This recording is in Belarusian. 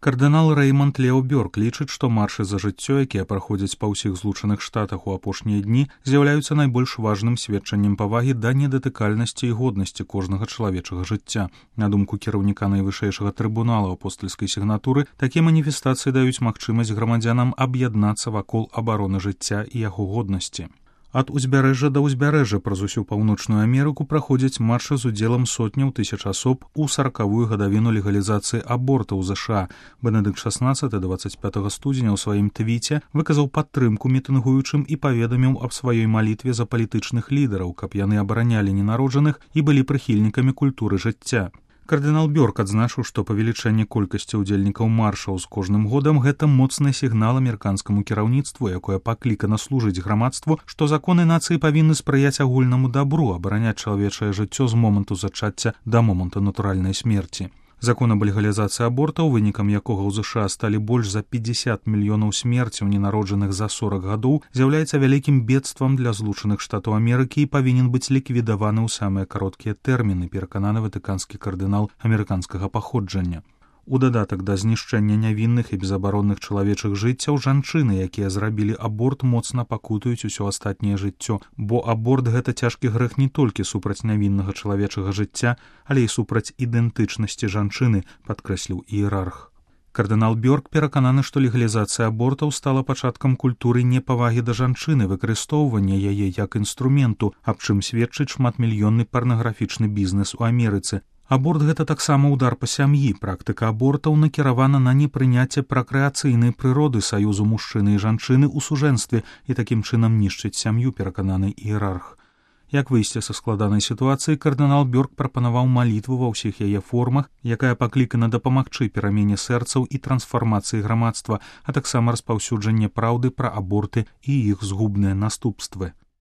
Кардынал Рэймонд Лео Бёрк лічыць, што маршы за жыццё, якія праходзяць па ўсіх злучаных штатах у апошнія дні, з'яўляюцца найбольш важным сведчаннем павагі да недатыкальнасці і годнасці кожнага чалавечага жыцця. На думку кіраўніка найвышэйшага трыбунала апостальскай сігнатуры, такія маніфестацыі даюць магчымасць грамадзянам аб'яднацца вакол абароны жыцця і яго годнасці. Ад узбярэжжа да ўзбярэжжа праз усю паўночную Амерыку праходзяць маршы з удзелам сотняў тысяч асоб у 40-ю гадавіну легалізацыі аборта ў ЗША. Бенедыкт XVI 25 студзеня ў сваім твіце выказаў падтрымку мітынгуючым і паведаміў аб сваёй малітве за палітычных лідараў, каб яны абаранялі ненароджаных і былі прыхільнікамі культуры жыцця. Кардынал Бёрк адзначыў, што павелічэнне колькасці ўдзельнікаў маршаў з кожным годам гэта моцны сігнал амерыканскаму кіраўніцтву, якое паклікана служыць грамадству, што законы нацыі павінны спрыяць агульнаму дабру, абараняць чалавечае жыццё з моманту зачацця да моманту натуральнай смерці. Закон аб легалізацыі абортаў, вынікам якога ў ЗША сталі больш за 50 мільёнаў смерцяў ненароджаных за 40 гадоў, з'яўляецца вялікім бедствам для злучаных штатаў Амерыкі і павінен быць ліквідаваны ў самыя кароткія тэрміны, перакананы ватыканскі кардынал амерыканскага паходжання. У дадатак да знішчэння нявінных і безабаронных чалавечых жыццяў жанчыны, якія зрабілі аборт, моцна пакутаюць усё астатняе жыццё, бо аборт гэта цяжкі грэх не толькі супраць нявіннага чалавечага жыцця, але і супраць ідэнтычнасці жанчыны, падкрэсліў іерарх. Кардынал Бёрк перакананы, што легалізацыя абортаў стала пачаткам культуры непавагі да жанчыны, выкарыстоўвання яе як інструменту, аб чым сведчыць шматмільённы парнаграфічны бізнес у Амерыцы. Аборт гэта таксама ўдар па сям'і. Практыка абортаў накіравана на непрыняцце пракрэацыйнай прыроды саюзу мужчыны і жанчыны ў сужэнстве і такім чынам нішчыць сям'ю, перакананы іерарх. Як выйсці са складанай сітуацыі, кардынал Бёрк прапанаваў малітву ва ўсіх яе формах, якая паклікана дапамагчы перамене сэрцаў і трансфармацыі грамадства, а таксама распаўсюджанне праўды пра аборты і іх згубныя наступствы.